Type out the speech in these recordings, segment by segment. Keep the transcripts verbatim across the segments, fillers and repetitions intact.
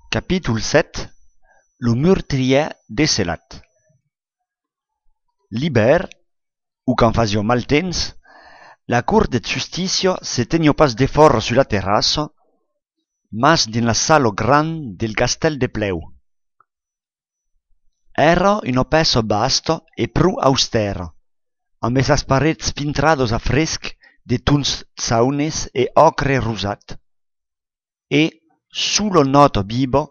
Capítol sèt. Lo murtrièr decelat. L'ivèrn, o quand fasiá mal temps, la cort de justícia se teniá pas defòra sus la terrassa, mas dins la sala grand del castèl de Plèu. Èra una pèça vasta e pro austèra, ambe sas parets pintradas a fresc de tons jaunes e ocre rosat, e sola nòta viva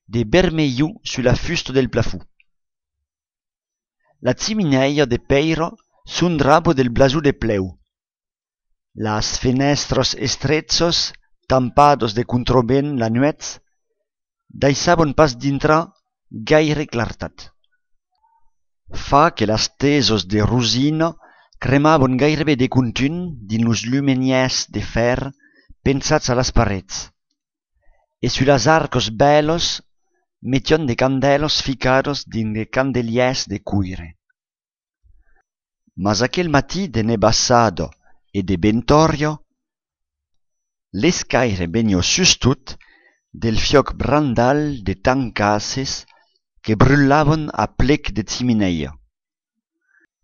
de vermelhor sus la fusta del plafon. La chiminèia de pèira sondrava del blason de Plèu. Las fenèstras estrechas, tampadas de contravent la nuèch, daissavan pas dintrar gaire clartat. Fa que las tesas de rosina cremavan gaireben de contunh dins los lumenièrs de fèr penjats a las parets, e sus las arcas bèlas metián de candèlas ficadas dins de candelièrs de coire. Mas aquel matin de nebassada e de ventòria, l'escaire veniá sustot del fiòc brandal de tancasses que brutlavan a plec de chiminèia,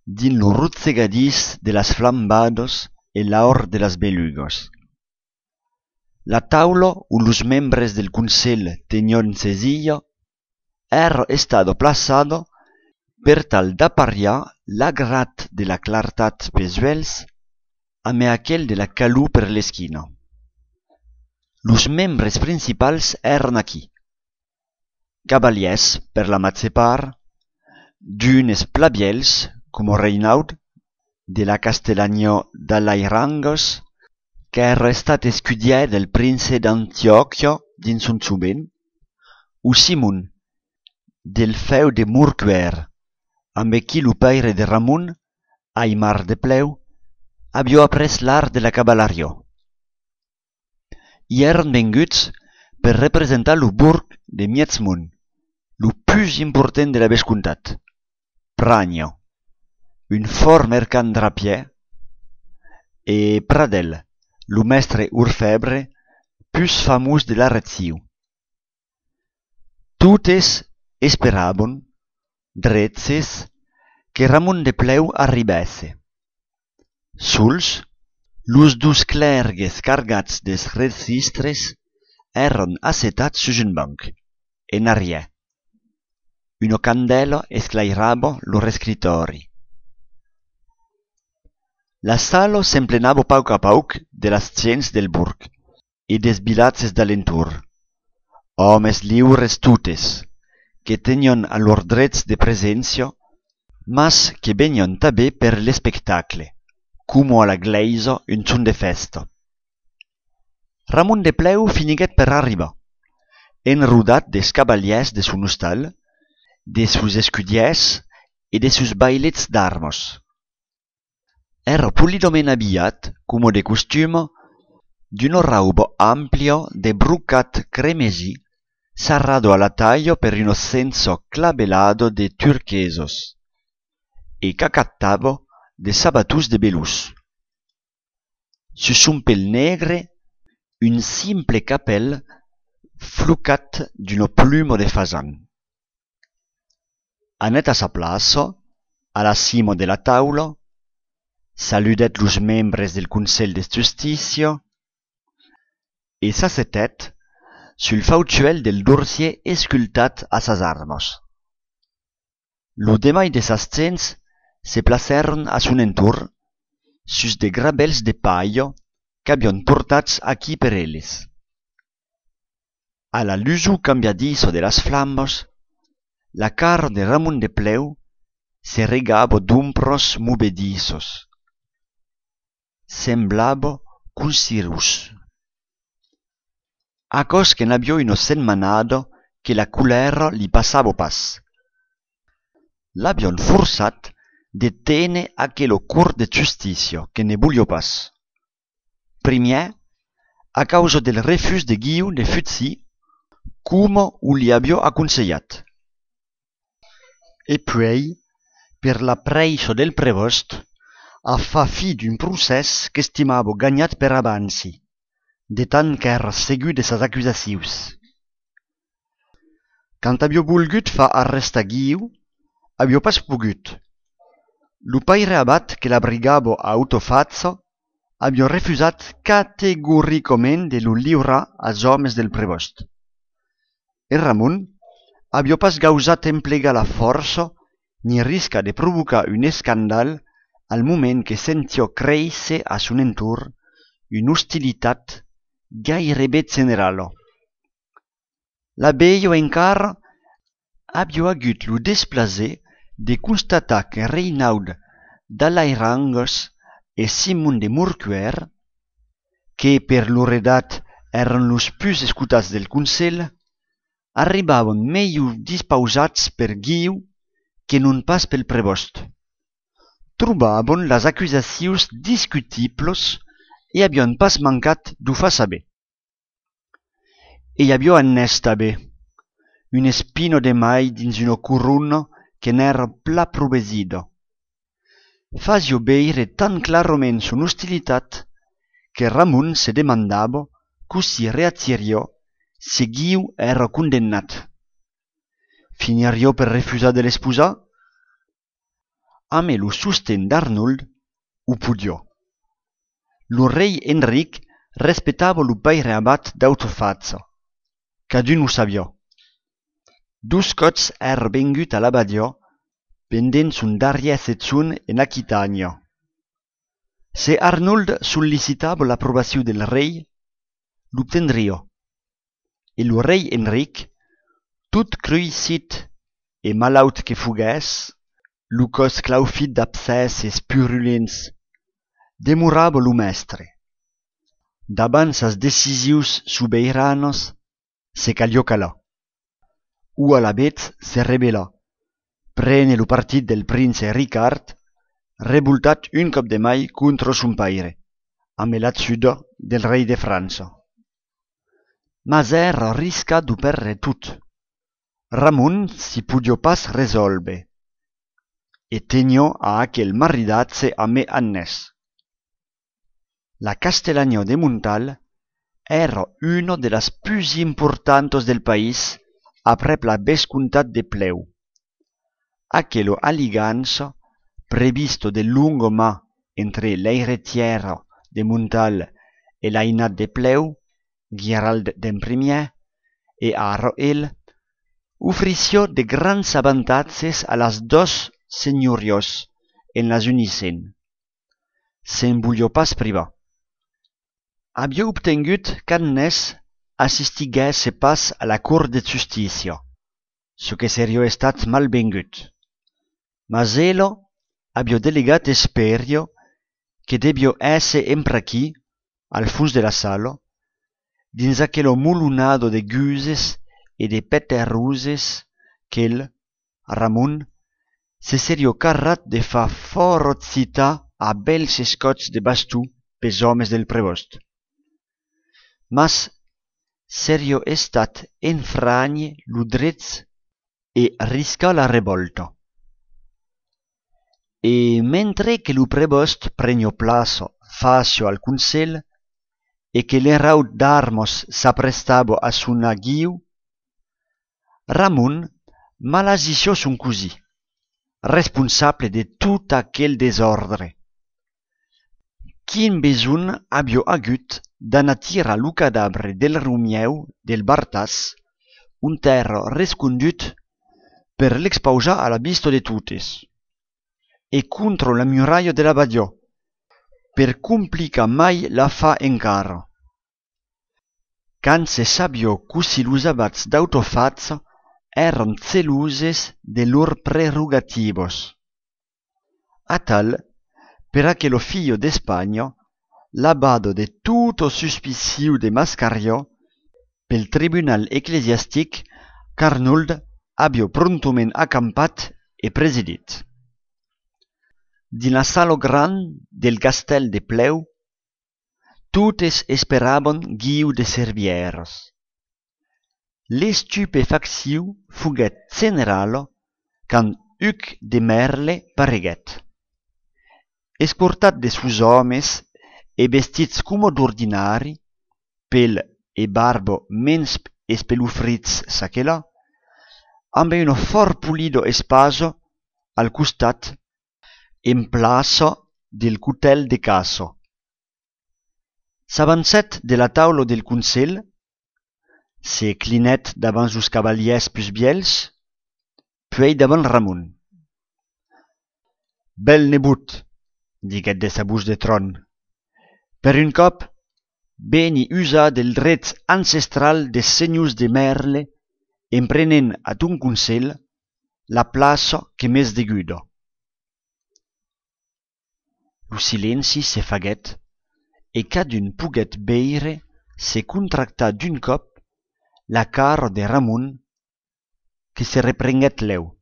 dins lo rotzegadís de las flambadas e l'aur de las belugas. La taula ont los membres del Conselh tenián sesija èra estada plaçada per tal d'apariar l'agrat de la clartat pesuèlhs ambe aquel de la calor per l'esquina. Los membres principals èran aquí: cavalièrs per la màger part, d'unes plan vièlhs, coma Reinaud, de la Castelhanha d'Alairangas, qu'èra estat escudièr del prince d'Antiòquia dins son jovent, o Simon, del fèu de Morcuèr, ambe qui lo paire de Ramon, Aimar de Plèu, aviá aprés l'art de la cavalariá. I èran venguts per representar lo borg de Mièjmont, lo pus important de la vescomtat, Pranya, un fòrt mercand drapièr, e Pradèl, lo mèstre orfèbre pus famós de la region. Totes esperavan, dreches, que Ramon de Plèu arribèsse. Sols, los dos clèrgues cargats dels registres èran assetats sus un banc, en arrièr. Una candèla esclairava lo rescritòri. La sala s'emplenava pauc a pauc de las gents del borg e dels vilatges d'alentorn, òmes liures totes, que tenián a lor drech de preséncia, mas que venián tanben per l'espectacle, coma a la glèisa un jorn de fèsta. Ramon de Plèu finiguèt per arribar, enrodat dels cavalièrs de son ostal, de sos escudièrs e de sos vailets d'armas. Èra polidament abilhat, coma de costuma, d'una rauba amplia de brocat cremesi, sarrada a la talha per una chencha clavelada de turquesas, e qu'acatava de sabatons de velós. Sus son pel negre, un simple capèl flocat d'una pluma de fasan. Anèt a sa plaça, a la cima de la taula, saludèt los membres del Conselh de Justícia e s'assetèt sul fautuèl del dorsièr escultat a sas armas. Lo demai de sas gents se placèron a son entorn sus de grabèls de palha qu'avián portats aquí per eles. A la lusor cambiadissa de las flamas, la cara de Ramon de Plèu se regava d'ombras movedissas. Semblava consirós. Aquò's que n'aviá una setmanada que la colèra li passava pas. L'avián forçat de téner aquela cort de justícia que ne voliá pas. Primièr, a causa del refús de Guiu de fugir, coma o li aviá aconselhat. E puèi, per la prèissa del prevòst, a far fi d'un procès qu'estimava ganhat per avanci, de tant qu'èra segur de sas acusacions. Quand aviá volgut far arrestar Guiu, aviá pas pogut. Lo paire abat que l'abrigava a Autofacha aviá refusat categoricament de lo liurar als òmes del prevòst. E Ramon aviá pas gausat emplegar la fòrça ni riscar de provocar un escandal al moment que sentiá créisser a son entorn una ostilitat gaireben generala. La velha encara aviá agut lo desplaser de constatar que Reinaud d'Alairangas e Simon de Morcuèr, que per lor edat èran los pus escotats del Conselh, arribavan melhor dispausats per Guiu que non pas pel prevòst. Trobavan las acusacions discutiblas e avián pas mancat d'o far saber. E i aviá Agnès tanben, una espina de mai dins una corona que n'èra plan provesida. Fasiá veire tan clarament son ostilitat que Ramon se demandava cossí reagiriá se Guiu èra condemnat. Finiriá per refusar de l'esposar? Amé lo sosten d'Arnold, o podiá. Lo rei Enric respectava lo paire abat d'Autofacha. Cadun o sabiá. Dos còps èra vengut a l'abadiá pendent son darrièr sejorn en Aquitània. Se Arnold sollicitava l'aprobacion del rei, l'obtendriá. E lo rei Enric, tot cruissit e malaut que foguèsse, lo còs claufit d'abscèsses purulents, demorava lo mèstre. Davant sas decisions sobeiranas, se caliá calar. O alavetz se rebelar, prene lo partit del prince Ricard, revoltat un còp de mai contra son paire, amé l'ajuda del rei de França. Mas èra riscat d'o pèrdre tot. Ramon s'i podiá pas resòlver, e teniá a aquel maridatge amé Agnès. La Castelaniá de Montal èra una de las pus importantas del país aprèp la vescomtat de Plèu. Aquela aligança, prevista de longa man entre l'eiretièra de Montal e l'ainat de Plèu, Guirald d'en Primièr, e ara el, ofrissiá de grands avantatges a las doas senhoriás en las unissent. Se'n voliá pas privar. Aviá obtengut qu'Agnès assistiguèsse pas a la Cort de Justícia, çò que seriá estat malvengut. Mas ela aviá delegat, esperiá que deviá èsser empraquí, al fons de la sala, dins aquela molonada de guses e de peteroses qu'el, Ramon, se seriá carrat de far fòrça citar a bèls escòps de baston pels òmes del prevòst. Mas seriá estat enfranhir lo drech e riscar la revòlta. E mentre que lo prevòst preniá plaça fàcia al Conselh e que l'eraut d'armas s'aprestava a sonar Guiu, Ramon malasissiá son cosin, responsable de tot aquel desòrdre. Quin besonh aviá agut d'anar tirar lo cadabre del Romièu del Bartàs, ont èra rescondut, per l'expausar a la vista de totes, e contra la muralha de l'abadiá, per complicar mai l'afar encara? Quand se sabiá cossí los abats d'Autofacha èran geloses de lor prerogativas. Atal, per aquela filha d'Espanha, lavada de tota suspicion de mascariá pel tribunal eclesiastic qu'Arnold aviá promptament acampat e presidit. Dins la sala grand del castèl de Plèu, totes esperavan Guiu de Servièras. L'estupefaccion foguèt generala quand Hugues de Merle pareguèt. Escortat de sos òmes e vestits coma d'ordinari, pel e barba mens espelofrits çaquelà, ambe una fòrt polida espasa al costat en plaça del cotèl de caça. S'avancèt de la taula del conselh, se clinèt davant los cavalièrs pus vièlhs, puèi davant Ramon. Bèl nebot, diguèt de sa votz de tròn, per un còp, veni usar del dret ancestral des senhors de Mèrle en prenent a ton conselh la plaça que m'es deguda. Lo silenci se faguèt e cadun poguèt veire se contractar d'un còp la cara de Ramon que se reprenguèt lèu.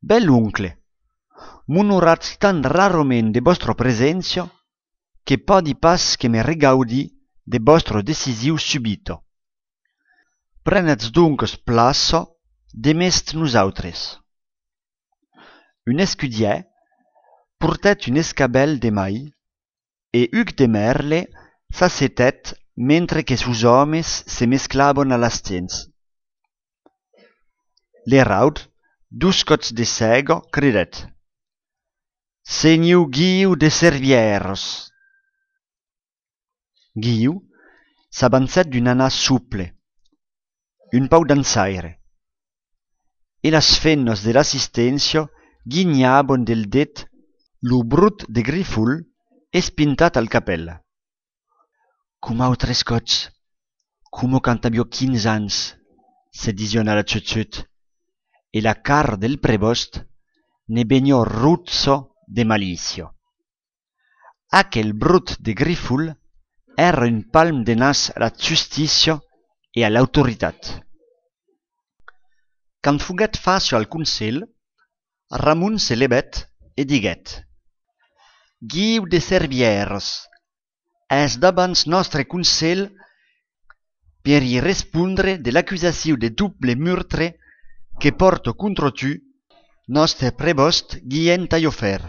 Bèl oncle, m'onoratz tan rarament de vòstra preséncia que pòdi pas que me regaudir de vòstra decision subita. Prenètz doncas plaça demest nosautres. Un escudièr portèt un escabèl de mai e Hugues de Mèrle s'assetèt mentre que sos òmes se mesclavan a las gents. L'eraud, dos còps de sèga, cridèt: Senhor Guiu de Servièras! Guiu s'avancèt d'un anar sople, un pauc dançaire, e las femnas de l'assisténcia guinhavan del det lo brot de grifol espintat al capèl. Coma autres còps, coma quand aviá quinze ans, se disián a la chut-chut, e la cara del prevòst ne veniá rotja de malícia. Aquel brot de grifol èra un palm de nas a la justícia e a l'autoritat. Quand foguèt fàcia al conselh, Ramon se levèt e diguèt: Guiu de Servièras, es davant nòstre conselh per i respondre de l'acusacion de doble meurtre que pòrta contra tu nòstre prevòst Guillem Taillofèr,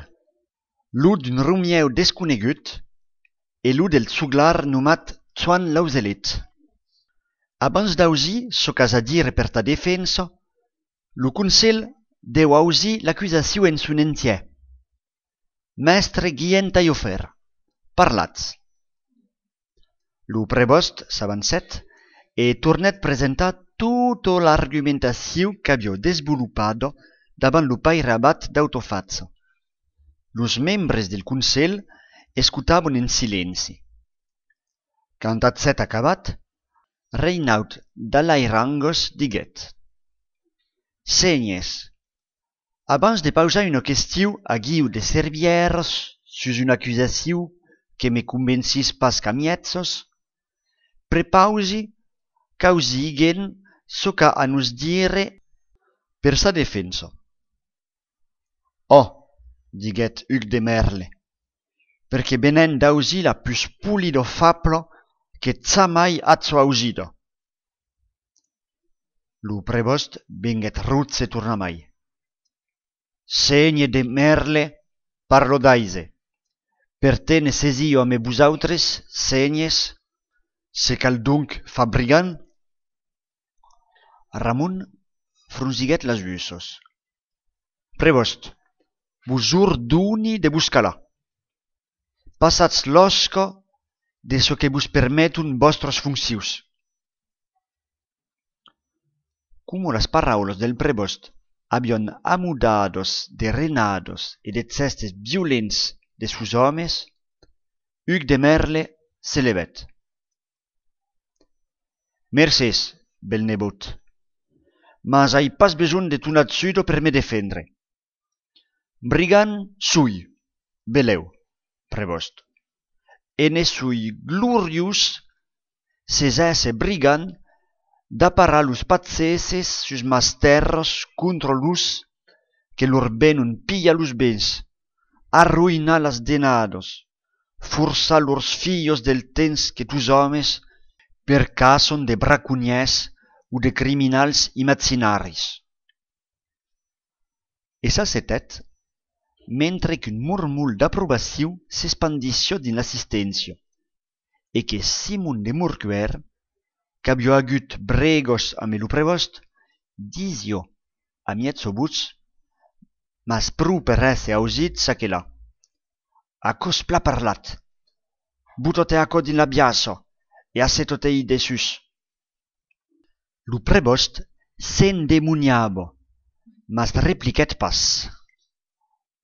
lo d'un romièu desconegut e lo del joglar nomat Joan Lauselet. Abans d'ausir çò qu'as a dire per ta defensa, lo conselh deu ausir l'acusacion en son entièr. Mèstre Guillem Taillofèr, parlatz. Lo prevòst s'avancèt e tornèt presentar tota l'argumentacion qu'aviá desvolopada davant lo paire abat d'Autofacha. Los membres del conselh escotavan en silenci. Quand agèt acabat, Reinaud d'Alairangas diguèt: Sénhers, abans de pausar una question a Guiu de Servièras sus una acusacion que me convencis pas qu'a mièjas, prepausi qu'ausigan çò qu'a a nos dire per sa defensa. Ò, diguèt Hugues de Mèrle, perque venèm d'ausir la pus polida fabla que jamai aja ausida. Lo prevòst venguèt roge tornamai. Sénher de Mèrle, parla d'aise. Per téner sesion ambe vosautres, sénhers, se cal donc far brigand? Ramon fronsiguèt las ussas. Prevòst, vos ordoni de vos calar. Passatz l'òsca de çò que vos permeton vòstras foncions. Coma las paraulas del prevòst avián amodadas de renadas e de gèstes violents de sos òmes, Hugues de Mèrle se levèt. Mercés, bèl nebot, mas ai pas besonh de ton ajuda per me defendre. Brigand soi, belèu, prevòst, e ne soi gloriós se j'èsse brigand d'aparar los pageses sus mas tèrras contra los que lor venon pilhar los bens, arroïnar las denadas, forçar lors filhas del temps que tos òmes percaçan de braconièrs o de criminals imaginaris. E s'assetèt, mentre qu'un mormol d'aprobacion s'espandissiá dins l'assisténcia e que Simon de Morcuèr, qu'aviá agut bregas ambe lo prevòst, Disiá a mièja votz, mas pro per èsser ausit çaquelà: Aquò's plan parlat. Bota-te aquò dins la biaça e asseta-te-i dessús. Lo prevòst s'endemoniava, mas repliquèt pas.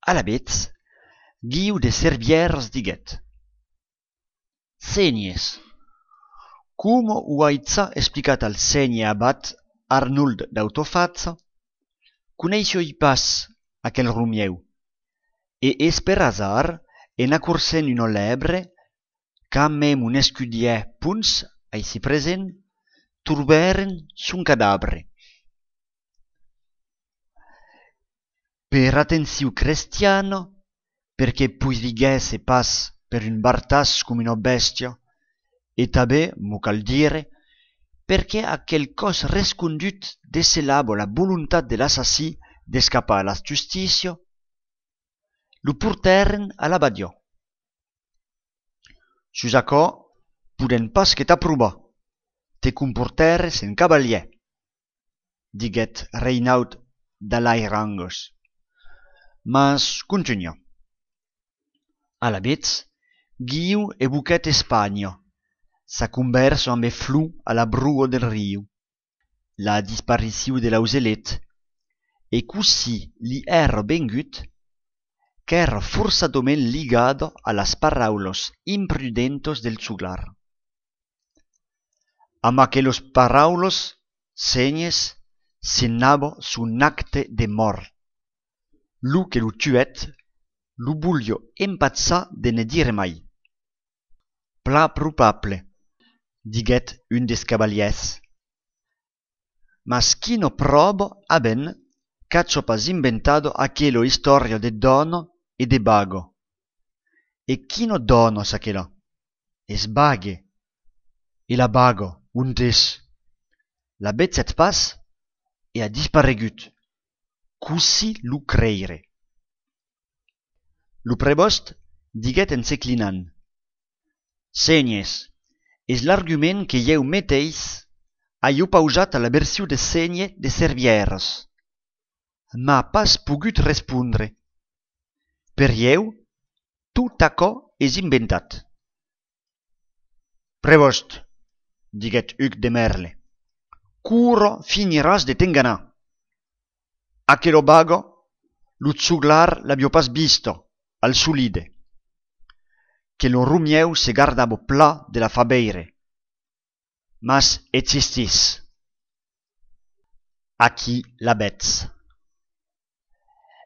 Alavetz, Guiu de Servièras diguèt: Sénhers, coma o ai ja explicat al sénher abat Arnold d'Autofacha, coneissiái pas aquel Romieu, e es per asard, en acorcent una lèbre, qu'amé mon escudièr Pons, aicí present, trobèrem son cadabre. Per atencion crestiana, perque poiriguèsse pas per un bartàs coma una bèstia, e tanben, m'o cal dire, perque aquel còs rescondut decelava la volontat de l'assassin d'escapar a la justícia, lo portèrem a l'abadiá. Sus aquò, podèm pas que t'aprovar, te comportères en cavalièr, diguèt Reinaud d'Alairangas. Mas contunha. Alavetz, Guiu evoquèt Espanha, sa convèrsa ambe Flor a la broa del riu, la disparicion de l'auselet, e cossí li èra vengut, qu'èra forçadament ligada a las paraulas imprudentas del joglar. Amb aquelas paraulas, sénhers, signava son acte de mòrt. Lo que lo tuèt, lo voliá empachar de ne dire mai. Plan probable, diguèt un dels cavalièrs. Mas quina pròva avèm qu'aja pas inventada aquela istòria de dòna e de baga? E quina dòna, çaquelà? Es vague. E la baga, ont es? La vegèt pas e a disparegut. Cossí lo creire? Lo prevòst diguèt en se clinant: Sénhers, es l'argument que ieu meteis ai opausat a la version de sénher de Servièras. M'a pas pogut respondre. Per ieu, tot aquò es inventat. Prevòst, diguèt Hugues de Merle, quora finiràs de t'enganar? Aquela baga, lo joglar l'aviá pas vista, al solide. Que lo Romieu se gardava plan de la far veire. Mas existís. Aquí l'avètz.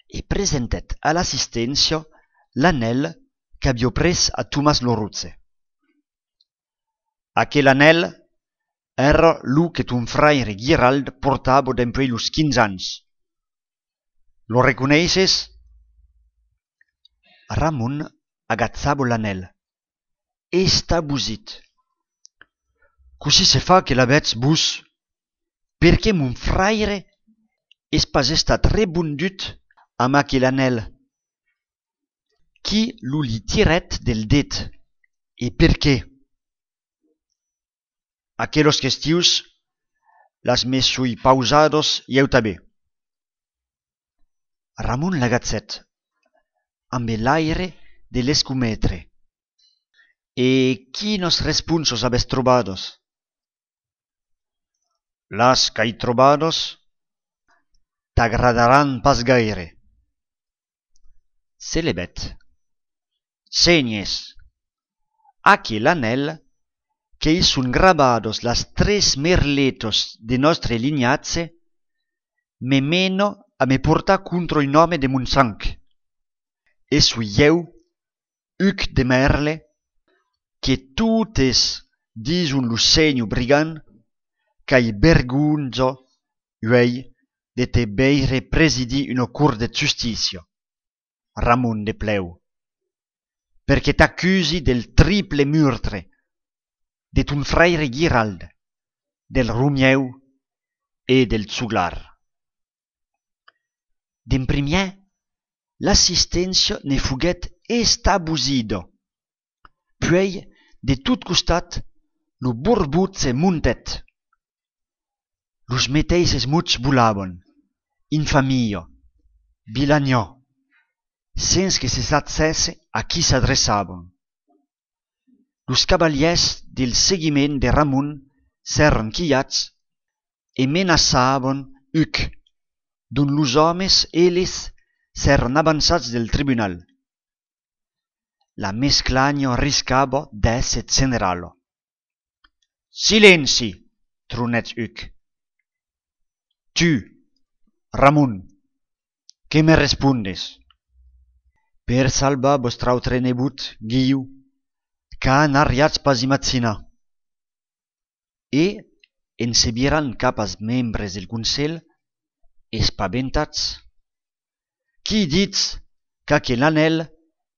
E presentèt a l'assisténcia l'anèl qu'aviá pres a Tomàs lo Roge. Aquel anèl èra lo que ton fraire Guirald portava dempuèi los quinze ans. Lo reconeisses? Ramon agachava l'anèl. Estabosit. Cossí se fa que l'avètz vos? Perqué mon fraire es pas estat rebondut amb aquel anèl? Qui lo li tirèt del det? E perqué? Aquelas questions las me soi pausadas ieu tanben. Ramon l'agachèt ambe l'aire de l'escometre. E quinas responsas avètz trobadas? Las qu'ai trobadas t'agradaràn pas gaire. Se levèt. Sénhers, aquel anèl que i son gravadas las tres merletas de nòstre linhatge me mena a me portar contra un òme de mon sang. E soi ieu, Hugues de Merle, que totes dison lo sénher brigand, qu'ai vergonha uèi de te veire presidir una cort de justícia, Ramon de Plèu, perque t'acusi del triple murtre de ton fraire Guirald, del Romieu e del joglar. D'en primièr, l'assisténcia ne foguèt estabosida. Puèi, de tot costat, lo borbotge montèt. Los meteisses mots volavan: infamia, vilanha, sens que se sachèsse a qui s'adreçavan. Los cavalièrs del seguiment de Ramon s'èran quilhats e menaçavan Huc, dont los òmes, eles, s'èran avançats del tribunal. La mesclanha riscava d'èsser generala. Silenci! Tronèt Huc. Tu, Ramon, que me respondes? Per salvar vòstre autre nebot, Guiu, qu'a n'arriatz pas imaginar. E, en se virant cap als membres del Conselh, espaventats: Qui ditz qu'aquel anèl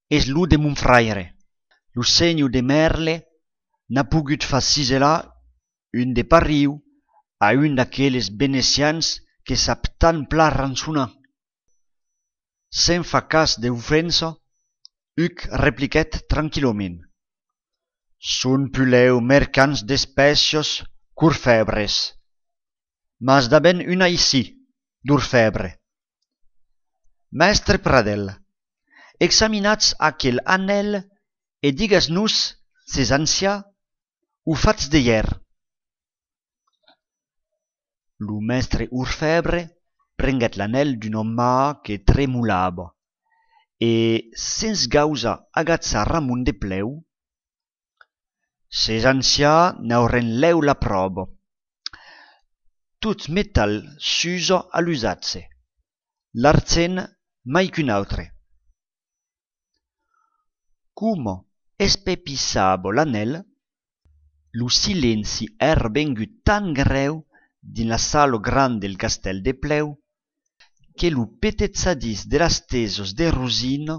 es lo de mon fraire? Lo senhor de Merle n'a pogut far ciselar un de pariu a un d'aqueles venecians que sap tan plan rançonar. Sens far cas de l'ofensa, Huc repliquèt tranquillament: Son puslèu mercants d'espècias qu'orfèbres. Mas n'avèm un aicí, d'orfèbre. Mèstre Pradèl, examinatz aquel anèl e digatz-nos s'es ancian o fach d'aièr. Lo mèstre orfèbre prenguèt l'anèl d'una man que tremolava e, sens gausar agachar Ramon de plèu: S'es ancian, n'aurem lèu la pròva. Tot metal s'usa a l'usatge, l'argent mai qu'un autre. Coma espepissava l'anèl, lo silenci èra vengut tan grèu dins la sala granda del castèl de Plèu que lo petejadís de las tesas de rosina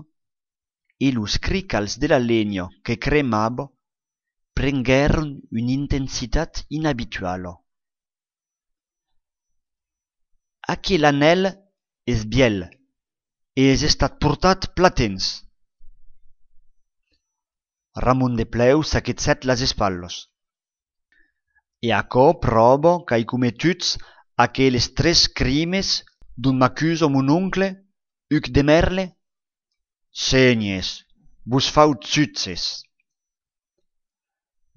e los cricals de la lenha que cremava prenguèron una intensitat inabituala. Aquel anèl es vièlh e es estat portat plan temps. Ramon de Plèu saquegèt las espatlas. E aquò pròva qu'ai cometut aqueles tres crimes dont m'acusa mon oncle, Huc de Merle? Sénher, vos fau jutges.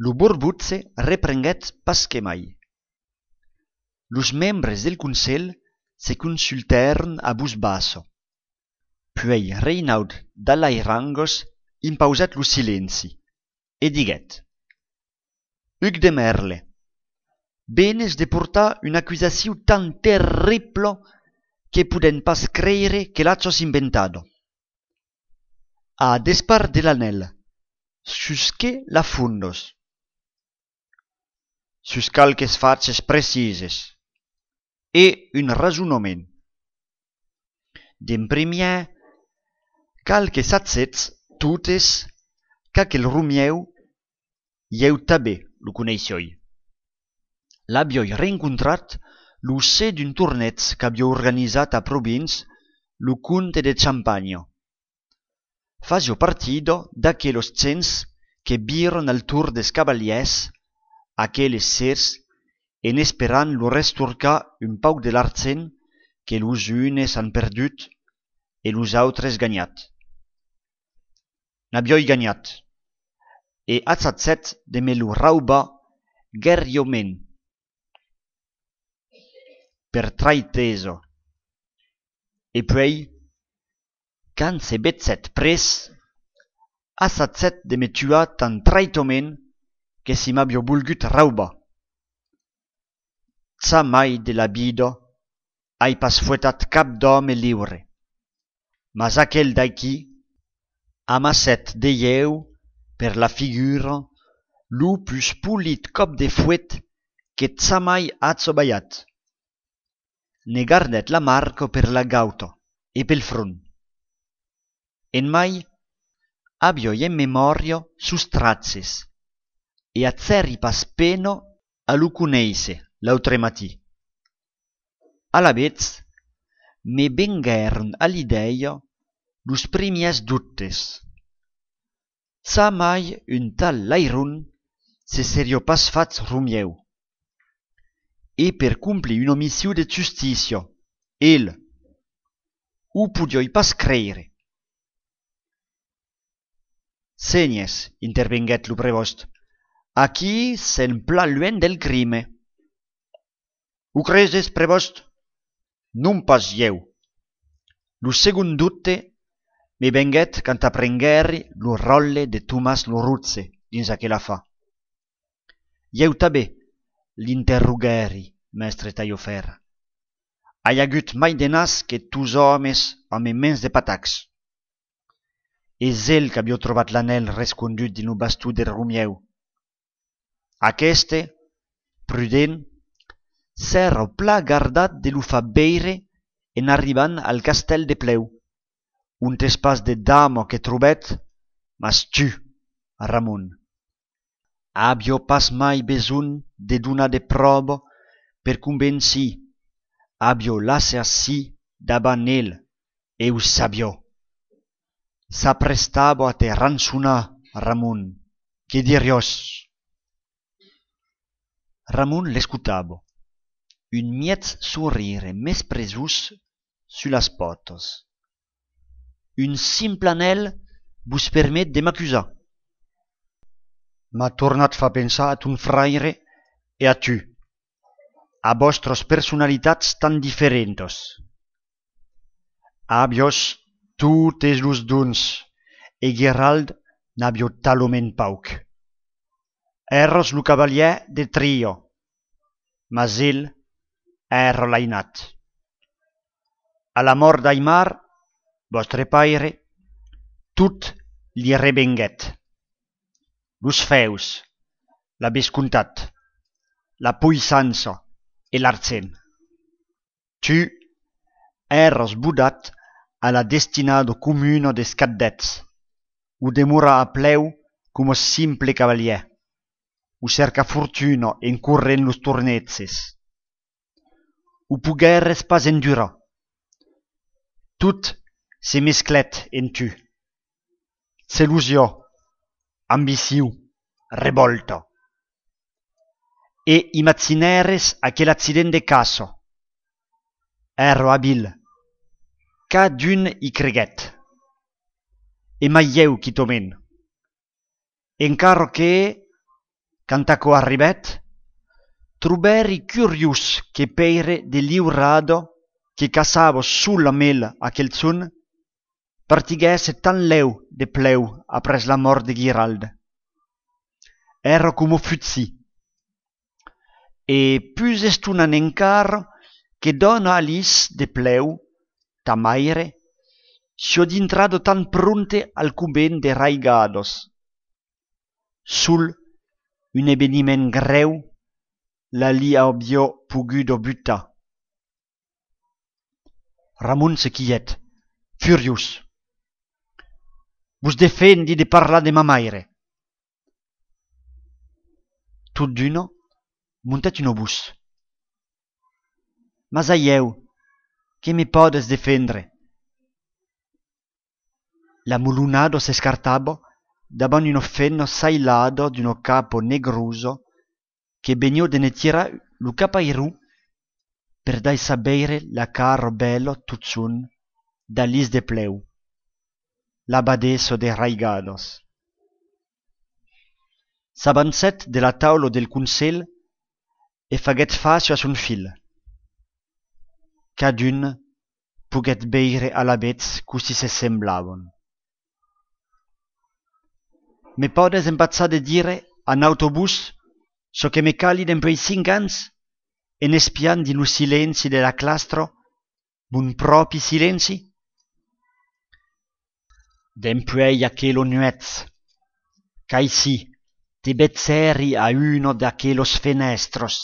Lo borbotge reprenguèt pas que mai. Los membres del Conselh se consultèron a votz bassa. Puèi Reinaud d'Alairangas impausèt lo silenci e diguèt: Huc de Merle, venes de portar una acusacion tan terribla que podèm pas creire que l'agis inventada. A despart de l'anèl, sus qué la fondas? Sus qualques faches precises e un rasonament. D'en primièr, cal que sachètz totes qu'aquel Romieu, ieu tanben lo coneissiái. L'aviái rencontrat lo ser d'un torneg qu'aviá organizat a Provins lo comte de Champanha. Fasiá partida d'aquelas gents que viran al torn dels cavalièrs aqueles sers en esperant lor restorcar un pauc de l'argent que los unes an perdut e los autres ganhat. N'aviái ganhat, e achatgèt de me lo raubar guerriament per traitesa. E puèi, quand se vegèt pres, assagèt de me tuar tan traitament que si m'aviá volgut raubar. Jamai de la vida ai pas fuetat cap d'òme liure. Mas aquel d'aquí amassèt de ieu per la figura lo pus polit còp de fuet que jamai aja balhat. Ne gardèt la marca per la gauta e pel front. En mai, aviái en memòria sos traches e agèri pas pena a lo conéisser l'autre matin. Alavetz, me venguèron a l'idèia los primièrs dubtes. Jamai un tal lairon se seriá pas fach Romieu. e per complir una mission de justícia. El, o podiái pas creire. Sénhers, intervenguèt lo prevòst, aquí sèm plan luènh del crime. O creses, prevòst? Non pas ieu. Lo segond dobte me venguèt quand aprenguèri lo ròtle de Tomàs lo Rotge dins aquel afar. Ieu tanben l'interroguèri, mèstre Talhafèrra. Ai agut mai de nas que dos òmes amb mens de patacs. Es el qu'aviá trobat l'anèl rescondut dins lo baston de Romieu. Aqueste, prudent, s'èra plan gardat de lo far veire en arribant al castèl de Plèu, ont es pas de dama que trobèt, mas tu, Ramon. Aviá pas mai besonh de donar de pròva per convencir, aviá l'assassin davant el e o sabiá. S'aprestava a te rançonar, Ramon. Que diriás? Ramon l'escotava, un mièg sorire mesprejós sus las pòtas. Un simple anèl vos permet de m'acusar. M'a tornat far pensar a ton fraire e a tu, a vòstras personalitats tan diferentas. Aviás totes los dons, e Guirald n'aviá talament pauc. Èras lo cavalièr de tria, mas el èra l'ainat. A la mòrt d'Aimar, vòstre paire, tot li revenguèt. Los fèus, la vescomtat, la poissança e l'argent. Tu èras bodat a la destinada comuna dels Cadets, o demorar a Plèu coma simple cavalièr, o cercar fortuna en corrent los torneges. O poguères pas endurar. Tot se mesclèt en tu. Gelosia, ambicion, revòlta. E imaginères aquel accident de caça. Èra abil. Cadun i creguèt. E mai ieu quitament. Encara que, quand aquò arribèt, trobèri curiós que Pèire de Liurada, que caçava sol amb el aquel jorn, partiguèsse tan lèu de Plèu après la mòrt de Guirald. Èra coma fugir. E pus estonant encara que dòna Alice de Plèu, ta maire, siá dintrada tan prompte al convent de Raigadas. Sol un eveniment grèu la li aviá poguda butar. Ramon se quilhèt, furiós. Vos defendi de parlar de ma maire. Tot d'una, montèt una votz. Mas a ieu, que me pòdes defendre? La molonada s'escartava davant una femna sailada d'una capa negrosa que veniá de ne tirar lo capairon per daissar veire la cara bèla totjorn d'Alice de Plèu, l'abadessa de Raigadas. S'avancèt de la taula del conselh e faguèt fàcia a son filh. Cadun poguèt veire alavetz cossí se semblavan. Me pòdes empachar de dire a nauta votz çò que me cali dempuèi cinc ans en espiant dins lo silenci de la clastra, mon pròpi silenci? Dempuèi aquela nuèch, qu'aicí te vegèri a una d'aquelas fenèstras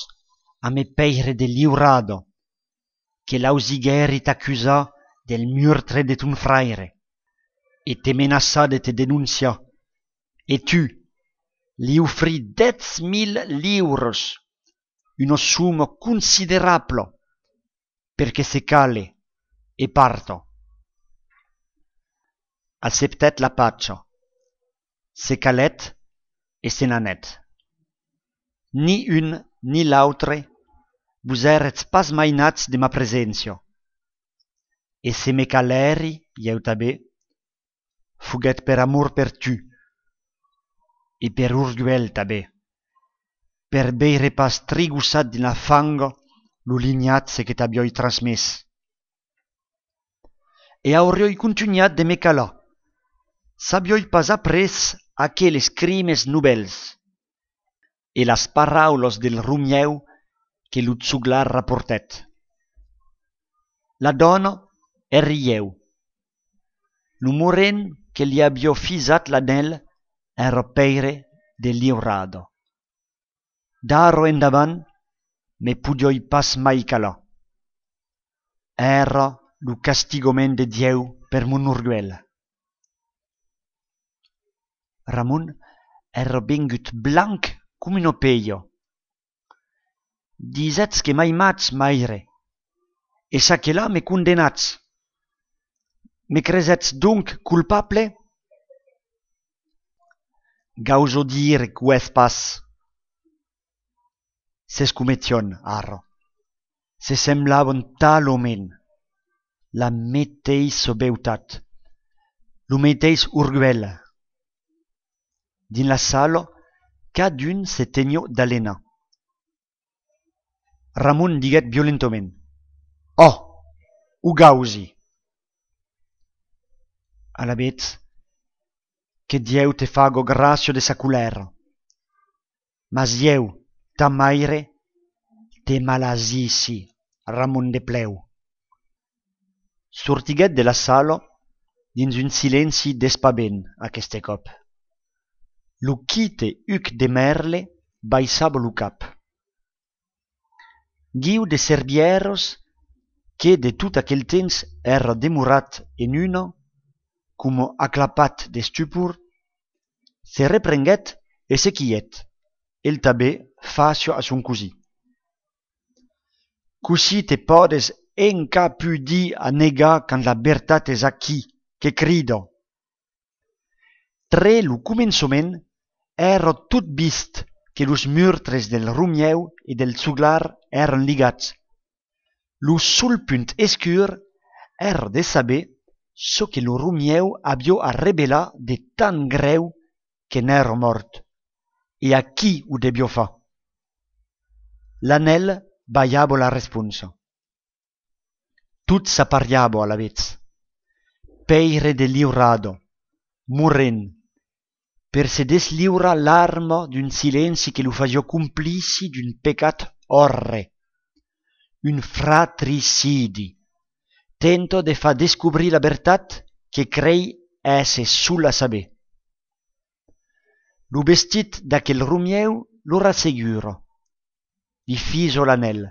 amé Pèire de Liurada, que l'ausiguèri t'acusar del murtre de ton fraire e te menaçar de te denonciar, e tu li ofrir dètz mila liuras, una soma considerabla, per que se cale e parta. Acceptèt la pacha, se calèt e se n'anèt. Ni un ni l'autre vos èretz pas mainats de ma preséncia. E se me calèri, ieu tanben, foguèt per amor per tu, e per orguèl tanben, per veire pas trigossat dins la fanga lo linhatge que t'aviái transmés. E auriái contunhat de me calar, s'aviái pas aprés aqueles crimes novèls e las paraulas del Romièu que lo joglar raportèt. La dòna èri ieu. Lo morren que li aviá fisat l'anèl èra pèire de liurada. D'ara endavant me podiái pas mai calar. Èra lo castigament de Dieu per mon orguèl. Ramon èra vengut blanc coma una pelha. Disètz que m'aimatz, maire, e çaquelà me condemnatz. Me cresètz donc colpable? Gausa dire qu'o es pas. S'escometián ara. Se semblavan talament. La meteissa beutat, lo meteis orguèl. Dins la sala, cadun se teniá d'alenar. Ramon diguèt violentament: Ò, o gausi! Alavetz, que Dieu te faga gràcia de sa colèra. Mas ieu, ta maire, te malasissi, Ramon de Plèu. Sortiguèt de la sala dins un silenci d'espavent aqueste còp. Lo quite Hugues de Merle baissava lo cap. Guiu de Servièras, que de tot aquel temps èra demorat en una, coma aclapat d'estupor, se reprenguèt e se quilhèt, el tanben, fàcia a son cosin. Cossí te pòdes encapudir a negar quand la vertat es aquí, que crida? Tre lo començament, èra tot vist que los murtres del Romièu e del Joglar èran ligats. Lo sol punt escur èra de saber çò que lo Romièu aviá a revelar de tan grèu que n'èra mòrt, e a qui o deviá far. L'anèl balhava la responsa. Tot s'apariava alavetz. Pèire de liurada, morren, per se desliurar l'arma d'un silenci que lo fasiá complici d'un pecat òrre, un fratricidi, tenta de far descobrir la vertat que crei èsser sol a saber. Lo vestit d'aquel Romièu lo rassegura. Li fisa l'anèl,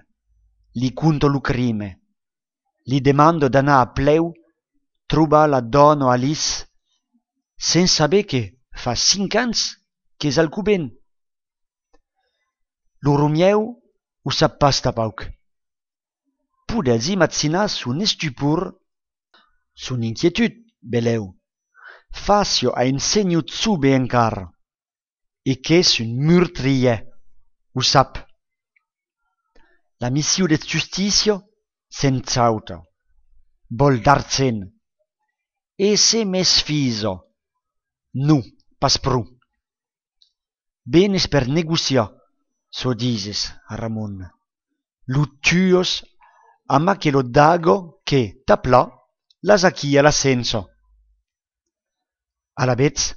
li conta lo crime, li demanda d'anar a Plèu trobar la dòna Alice, sens saber que fa cinc ans qu'es al covent. Lo Romièu o sap pas tanpauc. Podètz imaginar son estupor, son inquietud, belèu, fàcia a un senhor jove encara, e qu'es un murtrièr, o sap. La mission de justícia s'enchauta, vòl d'argent, e se mesfisa. Non, pas pro. Venes per negociar, çò dises, Ramon. Lo tuas amb aquela daga que, ta plan, l'as aquí a la cença. Alavetz,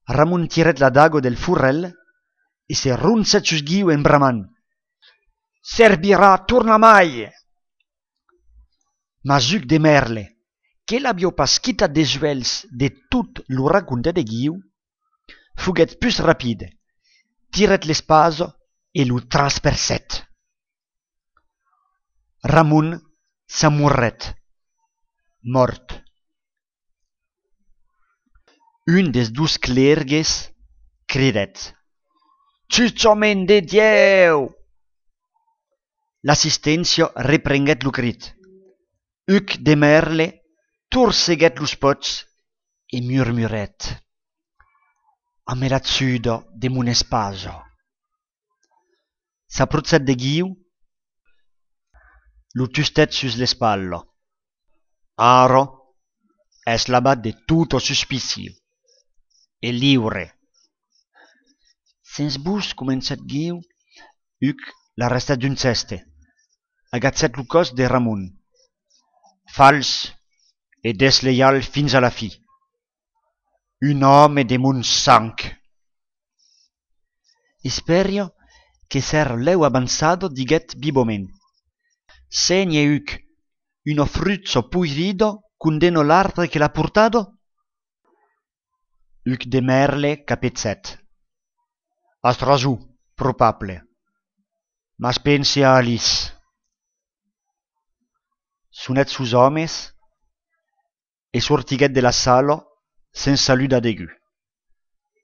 Ramon tirèt la daga del forrèl e se ronchèt sus Guiu en bramant: Servirà tornamai! Mas Hugues de Merle, que l'aviá pas quitat dels uèlhs de tot lo raconte de Guiu, foguèt pus rapide, tirèt l'espasa e lo traspercèt. Ramon s'amorrèt, mòrt. Un dels dos clergues cridèt: Jutjament de Dieu! L'assisténcia reprenguèt lo crit. Hugues de Merle torceguèt los pòts e murmurèt: Amb la juda de mon espasa. S'aprochèt de Guiu, lo tustèt sus l'espatla. Ara es lavat de tota suspicion e liure. Sens votz, comencèt Guiu, Huc l'arrestèt d'un gèste. Agachèt lo còs de Ramon. Fals e desleial fins a la fin. Un òme de mon sang! Espèria que s'èra lèu avançada, diguèt vivament: Sénher, Huc, una frucha poirida condemna l'arbre que l'a portada? Huc de Merle capegèt: As rason, probable, mas pense a Alice. Sonèt sos òmes e sortiguèt de la sala sens saludar degun.